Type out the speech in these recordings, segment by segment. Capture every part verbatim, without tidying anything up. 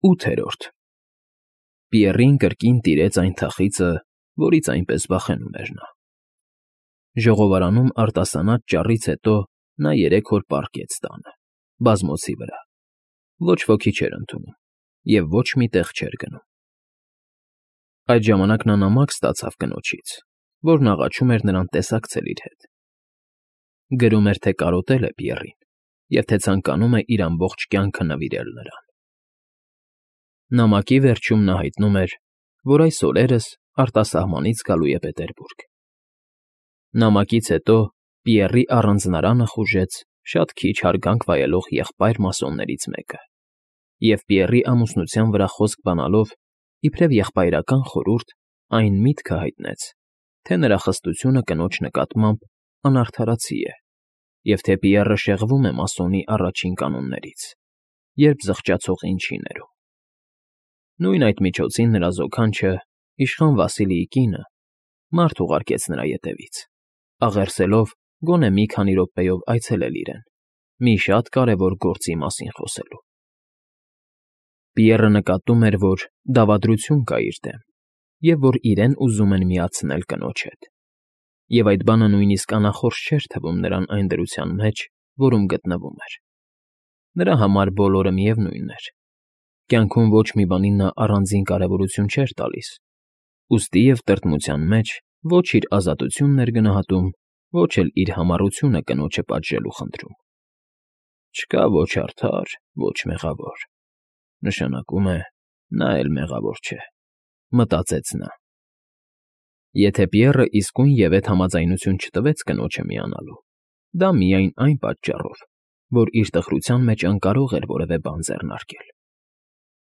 ՈՒԹԵՐՈՐԴ Պիեռին կրկին տիրեց այն թախիծը, որից այնպես վախենում էր նա. ժողովարանում արտասանած ճառից հետո նա երեք օր պառկեց տանը, բազմոցի վրա, ոչ ոքի չէր ընդունում և ոչ մի տեղ չէր գնում. այդ ժամանակ նա նամակ ստացավ կնոջից, որն աղաչում էր նրան տեսակցել իր հետ. գրում էր, թե կարոտել է Պիեռին և թե ցանկանում է իր ամբողջ կյանքը նվիրել նրան. նամակի վերջում նա հայտնում էր, որ այս օրերս արտասահմանից գալու է Պետերբուրգ. նամակից հետո Պիեռի առանձնարանը խուժեց շատ քիչ հարգանք վայելող եղբայր մասոններից մեկը և Պիեռի ամուսնության վրա խոսք բանալով, իբրև եղբայրական խորհուրդ, այն միտքը հայտնեց, թե նրա խստությունը կնոջ նկատմամբ անարդարացի է և թե Պիեռը շեղվում է մասոնի առաջին կանոններից, երբ զղջացողին չի ներում. նույն այդ միջոցին նրա զոքանչը, իշխան Վասիլիի կինը, մարդ ուղարկեց նրա ետևից, աղերսելով գոնե մի քանի րոպեով այցելել իրեն, մի շատ կարևոր գործի մասին խոսելու։ Պիեռը նկատում էր, որ դավադրություն կա իր դեմ և որ իրեն ուզում են միացնել կնոջ հետ, և այդ բանը նույնիսկ անախորժ չէր թվում նրան այն դրության մեջ, որում գտնվում էր. նրա համար բոլորը միևնույն էր, կյանքում ոչ մի բանին նա առանձին կարևորություն չէր տալիս, ուստի և տրտմության մեջ ոչ իր ազատությունն էր գնահատում, ոչ էլ իր համառությունը կնոջը պատժելու խնդրում։ «Չկա ոչ արդար, ոչ մեղավոր, նշանակում է, նա էլ մեղավոր չէ», մտածեց նա։ Եթե Պիեռը իսկույնևեթ համաձայնություն չտվեց կնոջը միանալու, դա միայն այն պատճառով, որ իր տխրության մեջ անկարող էր որևէ բան ձեռնարկել։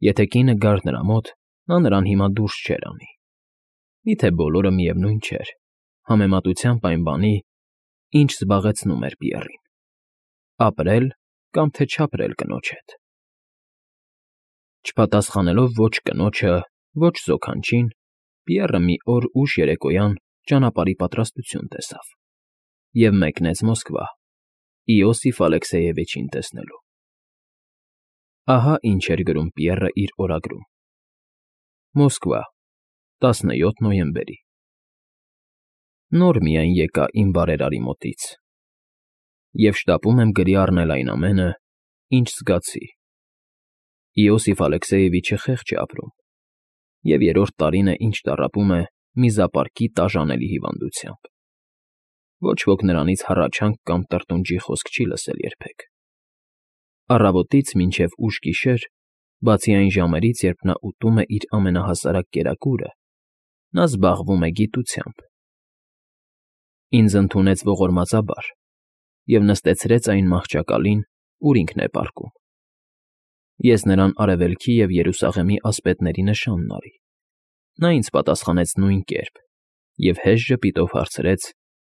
Եթե կինը գար նրա մոտ, նա նրան հիմա դուրս չէր անի։ Միթե բոլորը միևնույն չէր, համեմատությամբ այն բանի, ինչ զբաղեցնում էր Պիեռին՝ ապրել կամ թե չապրել կնոջ հետ։ Չպատասխանելով ոչ կնոջը, ոչ զոքանչին, Պիեռը մի օր ուշ երեկոյան ճանապարհի պատրաստություն տեսավ և մեկնեց Մոսկվա՝ Իոսիֆ Ալեքսեևիչին տեսնելու։ Ահա ինչ էր գրում Պիեռը իր օրագրում. Մոսկվա, տասնյոթ նոյեմբեր Նոր միայն եկա իմ բարերարի մոտից, և շտապում եմ գրի առնել այն ամենը, ինչ զգացի։ Իոսիֆ Ալեքսեևիչը խեղճ է ապրում, և երրորդ տարին է, ինչ տառապում է միզապարկի տաժանելի հիվանդությամբ։ Ոչ ոք նրանից հառաչանք կամ տրտունջի խոսք չի լսել երբեք։ Առավոտից մինչև ուշ գիշեր, բացի այն ժամերից, երբ նա ուտում է իր ամենահասարակ կերակուրը, նա զբաղվում է գիտությամբ։ Ինձ ընդունեց ողորմածաբար և նստեցրեց այն մահճակալին, ուր ինքն է պառկում։ Ես նրան Արևելքի և Երուսաղեմի ասպետների նշանն արի։ Նա ինձ պատասխանեց նույն կերպ և հեշտ ժպիտով հարցրեց,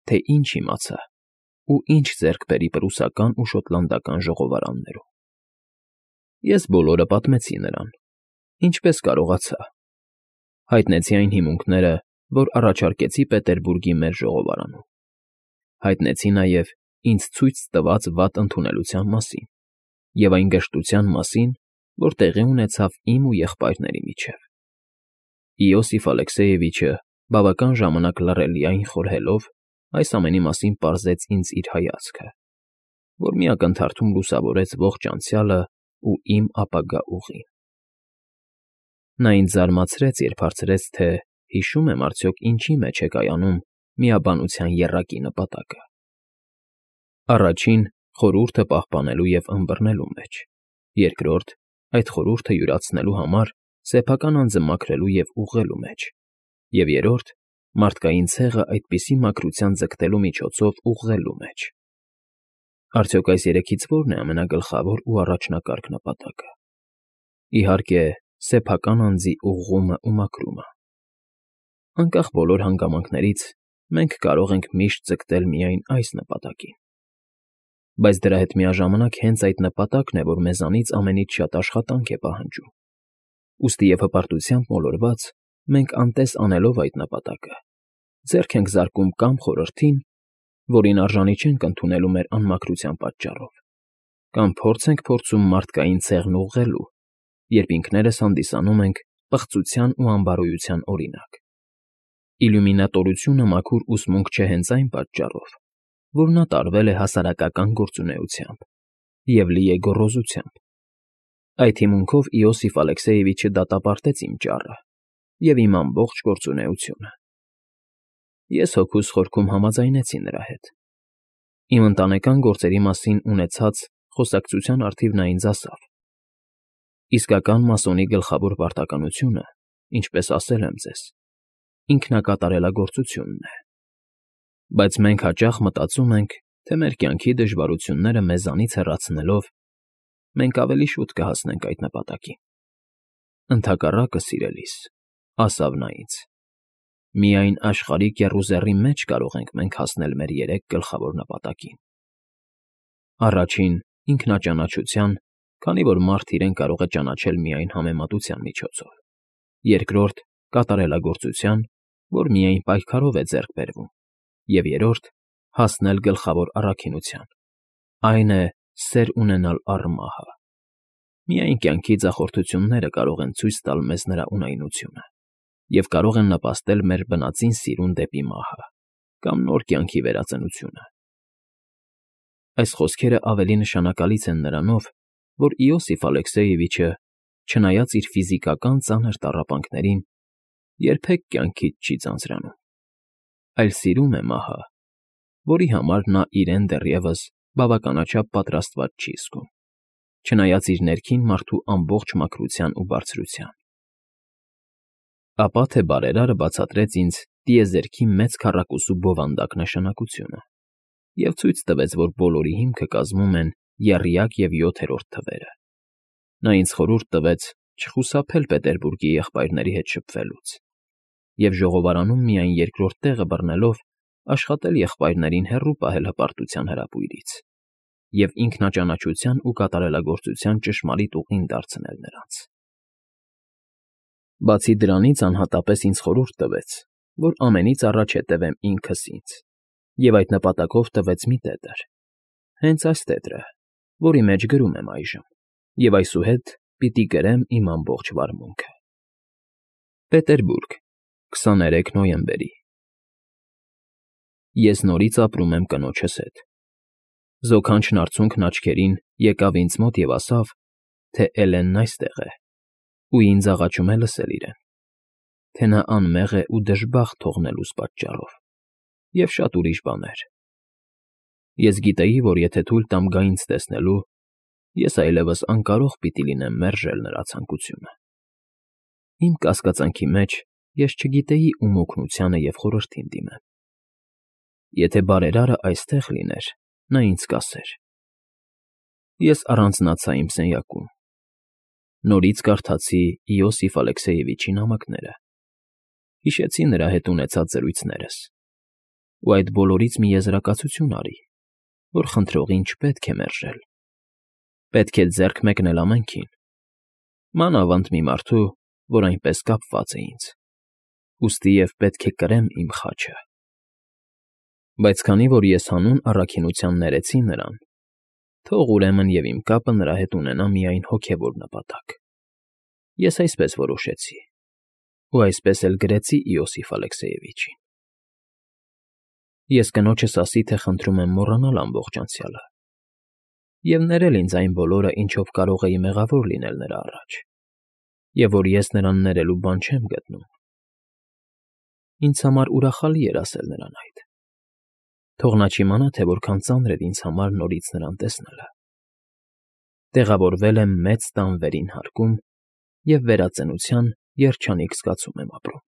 թե ինչ իմացա ու ինչ ձեռք բերի պրուսական ու շոտլանդական ժողովարաններում։ Ես բոլորը պատմեցի նրան, ինչպես կարողացա, հայտնեցի այն հիմունքները, որ առաջարկեցի Պետերբուրգի մեր ժողովարանում, հայտնեցի նաև ինձ ցույց տված վատ ընդունելության մասին և այն գժտության մասին, որ տեղի ունեցավ իմ ու եղբայրների միջև։ Իոսիֆ Ալեքսեևիչը բավական ժամանակ լռելիայն խորհելով այս ամենի մասին պարզեց ինձ իր հայացքը, որ մի ակնթարթում լուսավորեց ողջ անցյալն ու իմ ապագա ուղին։ Նա ինձ զարմացրեց, երբ հարցրեց, թե հիշում եմ արդյոք ինչի մեջ է կայանում միաբանության եռակի նպատակը։ Առաջին՝ խորհուրդը պահպանելու և ըմբռնելու մեջ, երկրորդ՝ այդ խորհուրդը յուրացնելու համար սեփական անձը մաքրելու և ուղղելու մեջ, և երրորդ՝ մարդկային ցեղը այդպիսի մաքրության ձգտելու միջոցով ուղղելու մեջ։ Արդյոք այս երեքից ո՞րն է ամենագլխավոր ու առաջնակարգ նպատակը։ Իհարկե, սեփական անձի ուղղումն ու մաքրումը։ Անկախ բոլոր հանգամանքներից, մենք կարող ենք միշտ ձգտել միայն այս նպատակին։ Բայց դրա հետ միաժամանակ հենց այդ նպատակն է, որ մեզանից ամենից շատ աշխատանք է պահանջում։ Ուստի և հպարտությամբ մոլորված, մենք անտես անելով այդ նպատակը, ձեռք ենք զարկում կամ խորհրդին, որին արժանի չենք ընդունելու մեր անմաքրության պատճառով, կամ փորձ ենք փորձում մարդկային ցեղն ուղղելու, երբ ինքներս հանդիսանում ենք պղծության ու անբարոյության օրինակ։ Իլյումինատորությունը մաքուր ուսմունք չէ հենց այն պատճառով, որ նա տարվել է հասարակական գործունեությամբ և լի է գոռոզությամբ։ Այդ հիմունքով Իոսիֆ Ալեքսեևիչը դատապարտեց իմ ճառը և իմ ամբողջ գործունեությունը։ Ես հոգուս խորքում համաձայնեցի նրա հետ։ Իմ ընտանեկան գործերի մասին ունեցած խոսակցության առթիվ նա ինձ ասավ. «Իսկական մասոնի գլխավոր պարտականությունը, ինչպես ասել եմ ձեզ, ինքնակատարելագործությունն է։ Բայց մենք հաճախ մտածում ենք, թե մեր կյանքի դժվարությունները մեզանից հեռացնելով, մենք ավելի շուտ կհասնենք այդ նպատակին։ Ընդհակառակը, սիրելիս, ասավ նա ինձ, միայն աշխարհիկ եռուզեռի մեջ կարող ենք մենք հասնել մեր երեք գլխավոր նպատակին. Առաջին՝ ինքնաճանաչության, քանի որ մարդ իրեն կարող է ճանաչել միայն համեմատության միջոցով, երկրորդ՝ կատարելագործության, որ միայն պայքարով է ձեռք բերվում, և երրորդ՝ հասնել գլխավոր առաքինության, այն է՝ սեր ունենալ առ մահը։ Միայն կյանքի ձախորդությունները կարող են ցույց տալ մեզ նրա ունայնությունը և կարող են նպաստել մեր բնածին սիրուն դեպի մահը կամ նոր կյանքի վերածնությունը»։ Այս խոսքերը ավելի նշանակալից են նրանով, որ Իոսիֆ Ալեքսեևիչը, չնայած իր ֆիզիկական ծանր տառապանքներին, երբեք կյանքից չի ձանձրանում, այլ սիրում է մահը, որի համար նա իրեն դեռևս բավականաչափ պատրաստված չի զգում, չնայած իր ներքին մարդու ամբողջ մաքրության ու բարձրության։ Ապա թե բարերարը բացատրեց ինձ տիեզերքի մեծ քառակուսու բովանդակ նշանակությունը և ցույց տվեց, որ բոլորի հիմքը կազմում են եռյակ և յոթերորդ թվերը։ Նա ինձ խորհուրդ տվեց չխուսափել Պետերբուրգի եղբայրների հետ շփվելուց և ժողովարանում միայն երկրորդ տեղը բռնելով աշխատել եղբայրներին հեռու պահել հպարտության հրապույրից և ինքնաճանաչության ու կատարելագործության ճշմարիտ ուղին դարձնել նրանց։ Բացի դրանից անհատապես ինձ խորհուրդ տվեց, որ ամենից առաջ հետևեմ ինքս ինձ, և այդ նպատակով տվեց մի տետր, հենց այս տետրը, որի մեջ գրում եմ այժմ, և այսուհետ պիտի գրեմ իմ ամբողջ վարմունքը. Պետերբուրգ, քսաներեք նոյեմբերի։ Ես նորից ապրում եմ կնոջս հետ։ Զոքանչն արցունքն աչքերին եկավ ինձ մոտ և ասավ, թե Էլենն այստեղ է, ու ինձ աղաչում է լսել իրեն, թե նա անմեղ է ու դժբախտ թողնելուս պատճառով, և շատ ուրիշ բաներ։ Ես գիտեի, որ եթե թույլ տամ գա ինձ տեսնելու, ես այլևս անկարող պիտի լինեմ մերժել նրա ցանկությունը։ Իմ կասկածանքի մեջ ես չգիտեի ում օգնությանը և խորհրդին դիմեմ։ Եթե բարերարը այստեղ լիներ, նա ինձ կասեր։ Ես առանձնացա իմ սենյակում։ Նորից կարդացի Իոսիֆ Ալեքսեևիչի նամակները, հիշեցի նրա հետ ունեցած զրույցներս ու այդ բոլորից մի եզրակացություն արի, որ խնդրողին չպետք է մերժել, պետք է ձեռք մեկնել ամենքին, մանավանդ մի մարդու, որ այնպես կապված է ինձ, ուստի և պետք է կրեմ իմ խաչը։ Բայց քանի որ ես հանուն առաքինության ներեցի նրան, թող ուրեմն և իմ կապը նրա հետ ունենա միայն հոգևոր նպատակ։ Ես այսպես որոշեցի ու այսպես էլ գրեցի Իոսիֆ Ալեքսեևիչին. Ես կնոջս ասի, թե խնդրում եմ մոռանալ ամբողջ անցյալը և ներել ինձ այն բոլորը, ինչով կարող էի մեղավոր լինել նրա առաջ, և որ ես նրան ներելու բան չեմ գտնում։ Ինձ համար ուրախալի էր ասել նրան այդ։ Թող նա չիմանա, թե որքան ծանր էր ինձ համար նորից նրան տեսնելը։ Տեղավորվել եմ մեծ տան վերին հարկում և վերածնության երջանիկ զգացում եմ ապրում։